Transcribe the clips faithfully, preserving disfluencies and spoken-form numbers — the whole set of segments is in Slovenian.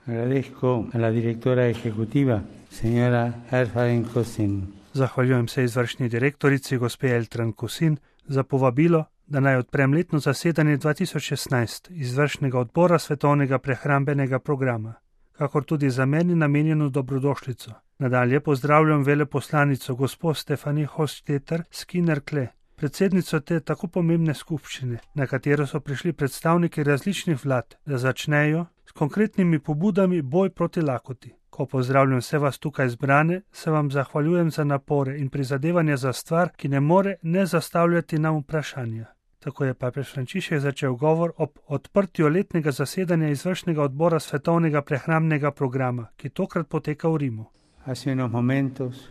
Agradezco a la directora ejecutiva, señora Elfharen Kosin. Zahvaljujem se izvršni direktorici, gospe Elfharen Kosin, za povabilo, da naj odprem letno zasedanje dva tisoč šestnajst izvršnega odbora Svetovnega prehrambenega programa, kakor tudi za meni namenjeno dobrodošlico. Nadalje pozdravljam veleposlanico gospo Stefanie Hostetter Skinner-Kle, predsednico te tako pomembne skupščine, na katero so prišli predstavniki različnih vlad, da začnejo s konkretnimi pobudami boj proti lakoti. Ko pozdravljam vse vas tukaj zbrane, se vam zahvaljujem za napore in prizadevanja za stvar, ki ne more ne zastavljati nam vprašanja. Tako je papež Frančišek začel govor ob odprtju letnega zasedanja izvršnega odbora Svetovnega prehrambnega programa, ki tokrat poteka v Rimu. Hace unos momentos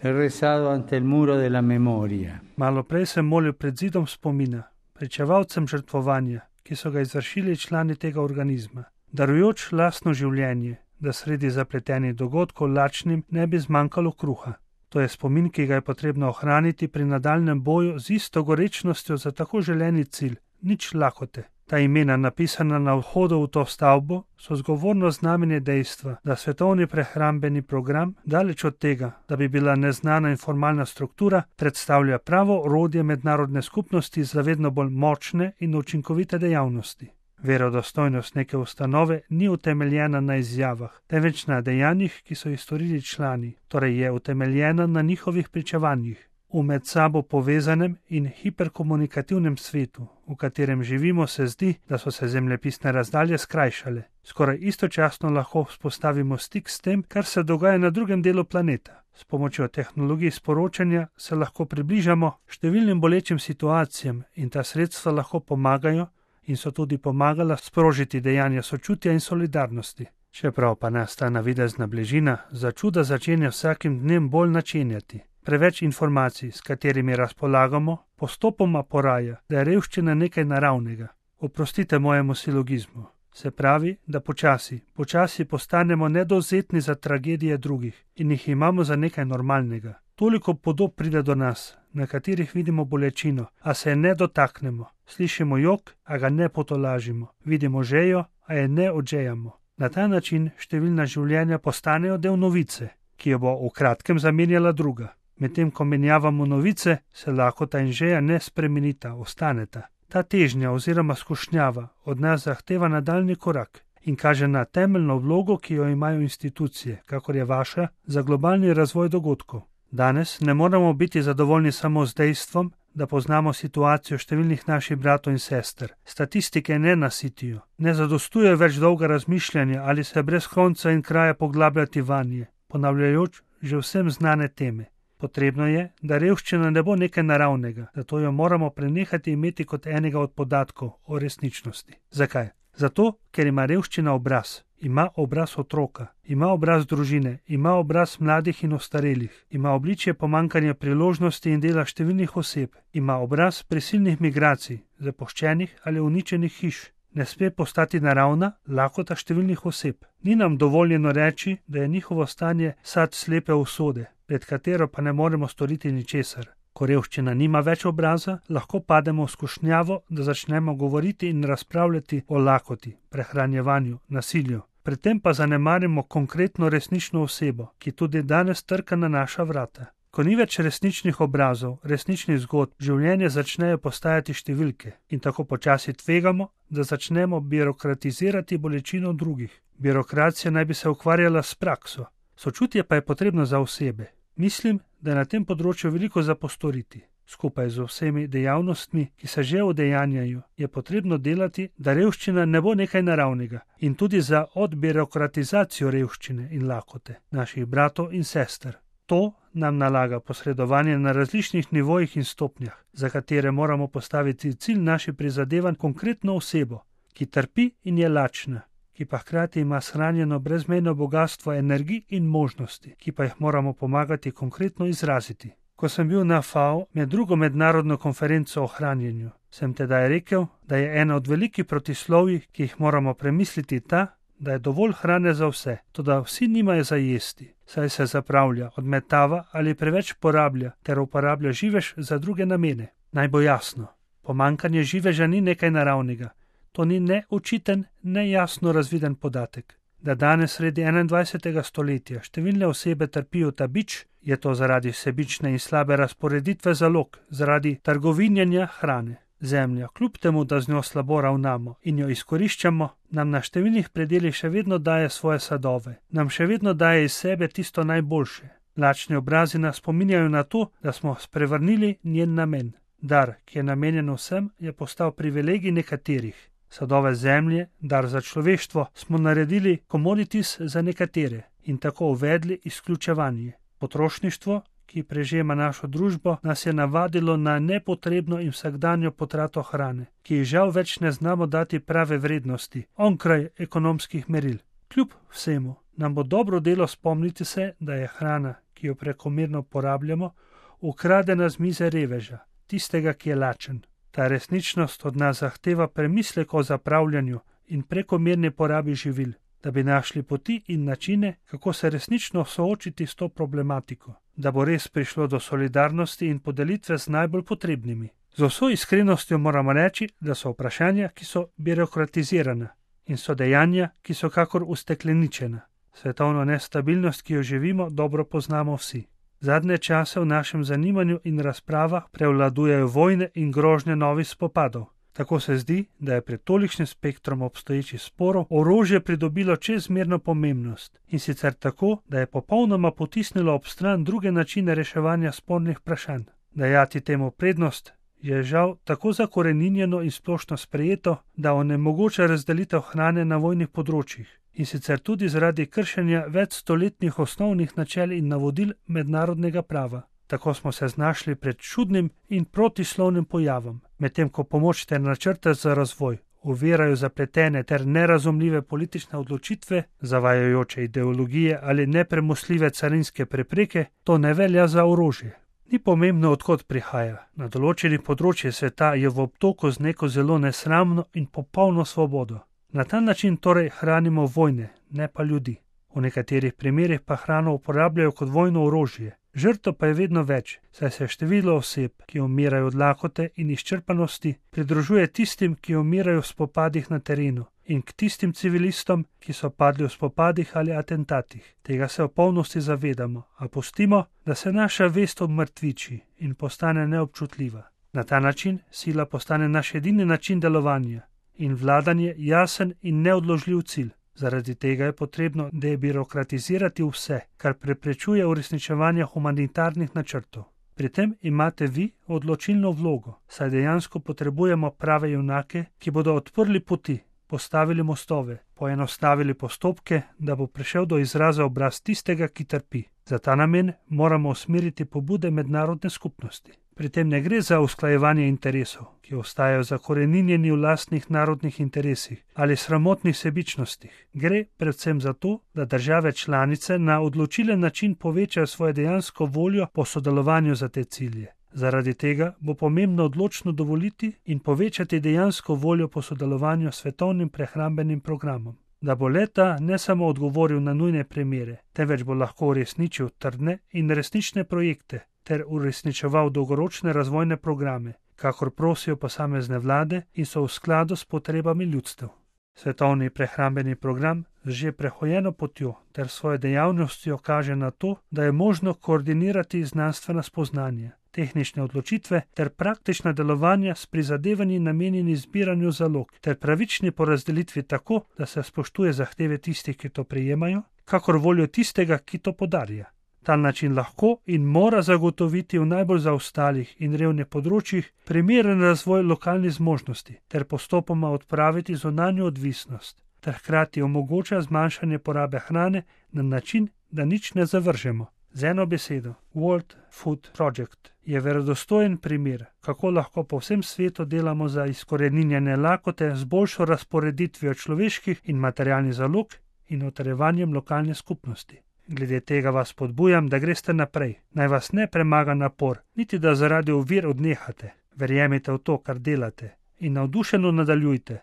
he rezado ante el muro de la memoria. Malo prej sem molil pred zidom spomina, pričevalcem žrtvovanja, ki so ga izvršili člani tega organizma, darujoč lastno življenje, da sredi zapletenih dogodkov lačnim ne bi zmanjkalo kruha. To je spomin, ki ga je potrebno ohraniti pri nadaljnem boju z isto gorečnostjo za tako želeni cilj, nič lakote. Ta imena, napisana na vhodu v to stavbo, so zgovorno znamenje dejstva, da svetovni prehrambeni program, daleč od tega, da bi bila neznana in formalna struktura, predstavlja pravo orodje mednarodne skupnosti za vedno bolj močne in učinkovite dejavnosti. Verodostojnost neke ustanove ni utemeljena na izjavah, temveč na dejanjih, ki so jih storili člani, torej je utemeljena na njihovih pričevanjih. V med sabo povezanem in hiperkomunikativnem svetu, v katerem živimo, se zdi, da so se zemljepisne razdalje skrajšale. Skoraj istočasno lahko vzpostavimo stik s tem, kar se dogaja na drugem delu planeta. S pomočjo tehnologij sporočanja se lahko približamo številnim bolečim situacijam in ta sredstva lahko pomagajo in so tudi pomagala sprožiti dejanja sočutja in solidarnosti. Čeprav pa nas ta navidezna bližina za čuda začenja vsakim dnem bolj načenjati. Preveč informacij, s katerimi razpolagamo, postopoma poraja, da je revščina nekaj naravnega. Oprostite mojemu silogizmu. Se pravi, da počasi, počasi postanemo nedovzetni za tragedije drugih in jih imamo za nekaj normalnega. Toliko podob pride do nas, na katerih vidimo bolečino, a se je ne dotaknemo. Slišimo jok, a ga ne potolažimo. Vidimo žejo, a je ne odžejamo. Na ta način številna življenja postanejo del novice, ki jo bo v kratkem zamenjala druga. Medtem ko menjavamo novice, se lakota in žeja ne spremenita, ostaneta. Ta težnja oziroma skušnjava od nas zahteva nadaljni korak in kaže na temeljno vlogo, ki jo imajo institucije, kakor je vaša, za globalni razvoj dogodkov. Danes ne moramo biti zadovoljni samo z dejstvom, da poznamo situacijo številnih naših bratov in sester. Statistike ne nasitijo, ne zadostuje več dolga razmišljanja ali se brez konca in kraja poglabljati vanje, ponavljajoč že vsem znane teme. Potrebno je, da revščina ne bo nekaj naravnega, zato jo moramo prenehati imeti kot enega od podatkov o resničnosti. Zakaj? Zato, ker ima revščina obraz. Ima obraz otroka, ima obraz družine, ima obraz mladih in ostarelih, ima obličje pomanjkanja priložnosti in dela številnih oseb, ima obraz prisilnih migracij, zapuščenih ali uničenih hiš. Ne sme postati naravna lakota številnih oseb. Ni nam dovoljeno reči, da je njihovo stanje sad slepe usode, pred katero pa ne moremo storiti ničesar. Ko revščina nima več obraza, lahko pademo v skušnjavo, da začnemo govoriti in razpravljati o lakoti, prehranjevanju, nasilju. Pri tem pa zanemarimo konkretno resnično osebo, ki tudi danes trka na naša vrata. Ko ni več resničnih obrazov, resničnih zgodb, življenje začnejo postajati številke in tako počasi tvegamo, da začnemo birokratizirati bolečino drugih. Birokracija naj bi se ukvarjala s prakso, sočutje pa je potrebno za osebe. Mislim, da je na tem področju veliko za postoriti. Skupaj z vsemi dejavnostmi, ki se že udejanjajo, je potrebno delati, da revščina ne bo nekaj naravnega in tudi za odbirokratizacijo revščine in lakote naših bratov in sester. To nam nalaga posredovanje na različnih nivojih in stopnjah, za katere moramo postaviti cilj naših prizadevanj konkretno osebo, ki trpi in je lačna, ki pa hkrati ima shranjeno brezmejno bogastvo energij in možnosti, ki pa jih moramo pomagati konkretno izraziti. Ko sem bil na F A O med drugo mednarodno konferenco o hranjenju, sem tedaj rekel, da je ena od velikih protislovij, ki jih moramo premisliti, ta, da je dovolj hrane za vse, toda vsi nimajo za jesti, saj se zapravlja, odmetava ali preveč porablja ter uporablja živež za druge namene. Naj bo jasno, pomanjkanje živeža ni nekaj naravnega. To ni ne učiten, ne jasno razviden podatek. da danes sredi enaindvajsetega stoletja številne osebe trpijo ta bič, je to zaradi sebične in slabe razporeditve zalog, zaradi trgovinjenja hrane. Zemlja, kljub temu, da z njo slabo ravnamo in jo izkoriščamo, nam na številnih predelih še vedno daje svoje sadove, nam še vedno daje iz sebe tisto najboljše. Lačni obrazi nas spominjajo na to, da smo sprevrnili njen namen. Dar, ki je namenjen vsem, je postal privilegij nekaterih. Sadove zemlje, dar za človeštvo, smo naredili commodities za nekatere in tako uvedli izključevanje. Potrošništvo, ki prežema našo družbo, nas je navadilo na nepotrebno in vsakdanjo potrato hrane, ki ji žal več ne znamo dati prave vrednosti, onkraj ekonomskih meril. Kljub vsemu, nam bo dobro delo spomniti se, da je hrana, ki jo prekomerno porabljamo, ukradena z mize reveža, tistega, ki je lačen. Ta resničnost od nas zahteva premislek o zapravljanju in prekomerni porabi živil, da bi našli poti in načine, kako se resnično soočiti s to problematiko, da bo res prišlo do solidarnosti in podelitve z najbolj potrebnimi. Z vso iskrenostjo moramo reči, da so vprašanja, ki so birokratizirana, in so dejanja, ki so kakor ustekleničena. Svetovno nestabilnost, ki jo živimo, dobro poznamo vsi. Zadnje čase v našem zanimanju in razpravah prevladujejo vojne in grožnje novih spopadov. Tako se zdi, da je pred tolikšnim spektrom obstoječih sporov orožje pridobilo čezmerno pomembnost in sicer tako, da je popolnoma potisnilo ob stran druge načine reševanja spornih vprašanj. Dajati temu prednost je žal tako zakoreninjeno in splošno sprejeto, da onemogoča razdelitev hrane na vojnih področjih in sicer tudi zaradi kršenja večstoletnih osnovnih načel in navodil mednarodnega prava. Tako smo se znašli pred čudnim in protislovnim pojavom, medtem ko pomoč ter načrte za razvoj ovirajo zapletene ter nerazumljive politične odločitve, zavajajoče ideologije ali nepremostljive carinske prepreke, to ne velja za orožje. Ni pomembno, odkot prihaja. Na določenih področjih sveta je v obtoku z neko zelo nesramno in popolno svobodo. Na ta način torej hranimo vojne, ne pa ljudi. V nekaterih primerih pa hrano uporabljajo kot vojno orožje. Žrtev pa je vedno več, saj se število oseb, ki umirajo od lakote in izčrpanosti, pridružuje tistim, ki umirajo v spopadih na terenu, in k tistim civilistom, ki so padli v spopadih ali atentatih. Tega se v polnosti zavedamo, a pustimo, da se naša vest obmrtviči in postane neobčutljiva. Na ta način sila postane naš edini način delovanja in vladanje jasen in neodložljiv cilj. Zaradi tega je potrebno debirokratizirati vse, kar preprečuje uresničevanje humanitarnih načrtov. Pri tem imate vi odločilno vlogo, saj dejansko potrebujemo prave junake, ki bodo odprli poti, postavili mostove, poenostavili postopke, da bo prišel do izraza obraz tistega, ki trpi. Za ta namen moramo usmeriti pobude mednarodne skupnosti. Pri tem ne gre za usklajevanje interesov, ki ostajajo zakoreninjeni v lastnih narodnih interesih ali sramotnih sebičnostih. Gre predvsem za to, da države članice na odločilen način povečajo svojo dejansko voljo po sodelovanju za te cilje. Zaradi tega bo pomembno odločno dovoliti in povečati dejansko voljo po sodelovanju s svetovnim prehrambenim programom, da bo leta ne samo odgovoril na nujne primere, temveč bo lahko uresničil trdne in resnične projekte ter uresničeval dolgoročne razvojne programe, kakor prosijo posamezne vlade in so v skladu s potrebami ljudstev. Svetovni prehrambeni program z že prehojeno potjo ter svojo dejavnostjo kaže na to, da je možno koordinirati znanstvena spoznanja, tehnične odločitve ter praktična delovanja s prizadevanji namenjeni zbiranju zalog ter pravični porazdelitvi tako, da se spoštuje zahteve tistih, ki to prejemajo, kakor voljo tistega, ki to podarja. Ta način lahko in mora zagotoviti v najbolj zaostalih in revnih področjih primeren razvoj lokalnih zmožnosti ter postopoma odpraviti zunanjo odvisnost ter hkrati omogoča zmanjšanje porabe hrane na način, da nič ne zavržemo. Z eno besedo, World Food Project je verodostojen primer, kako lahko po vsem svetu delamo za izkoreninjene lakote z boljšo razporeditvijo človeških in materialnih zalog in utrjevanjem lokalne skupnosti. Glede tega vas spodbujam, da greste naprej, naj vas ne premaga napor, niti da zaradi ovir odnehate. Verjemite v to, kar delate, in navdušeno nadaljujte,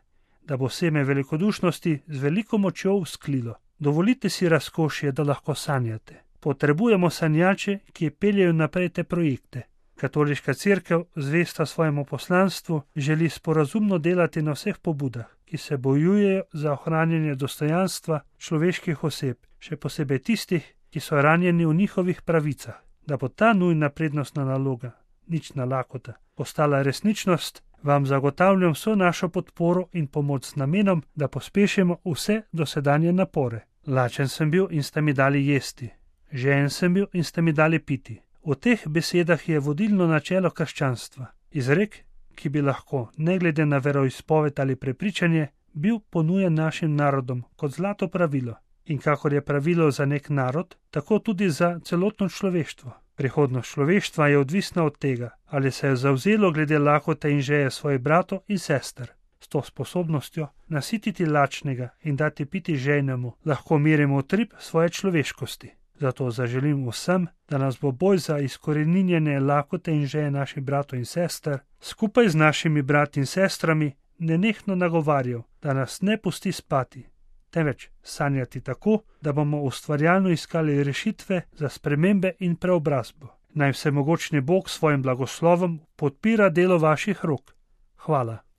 da bo seme velikodušnosti z veliko močjo vzklilo. Dovolite si razkošje, da lahko sanjate. Potrebujemo sanjače, ki peljejo naprej te projekte. Katoliška cerkev, zvesta svojemu poslanstvu, želi sporazumno delati na vseh pobudah, ki se bojujejo za ohranjanje dostojanstva človeških oseb, še posebej tistih, ki so ranjeni v njihovih pravicah. Da bo ta nujna prednostna naloga, nična lakota, postala resničnost, vam zagotavljam vso našo podporo in pomoč z namenom, da pospešimo vse dosedanje napore. Lačen sem bil in ste mi dali jesti, žejen sem bil in ste mi dali piti. V teh besedah je vodilno načelo krščanstva, izrek, ki bi lahko, ne glede na veroizpoved ali prepričanje, bil ponujen našim narodom kot zlato pravilo. In kakor je pravilo za nek narod, tako tudi za celotno človeštvo. Prihodnost človeštva je odvisna od tega, ali se je zavzelo glede lakote in žeje svojih bratov in sester. S to sposobnostjo nasititi lačnega in dati piti žejnemu lahko merimo utrip svoje človeškosti. Zato zaželim vsem, da nas bo boj za izkoreninjenje lakote in žeje naših bratov in sester skupaj z našimi brati in sestrami nenehno nagovarjal, da nas ne pusti spati, temveč sanjati tako, da bomo ustvarjalno iskali rešitve za spremembe in preobrazbo. Naj vsemogočni Bog s svojim blagoslovom podpira delo vaših rok. Hvala.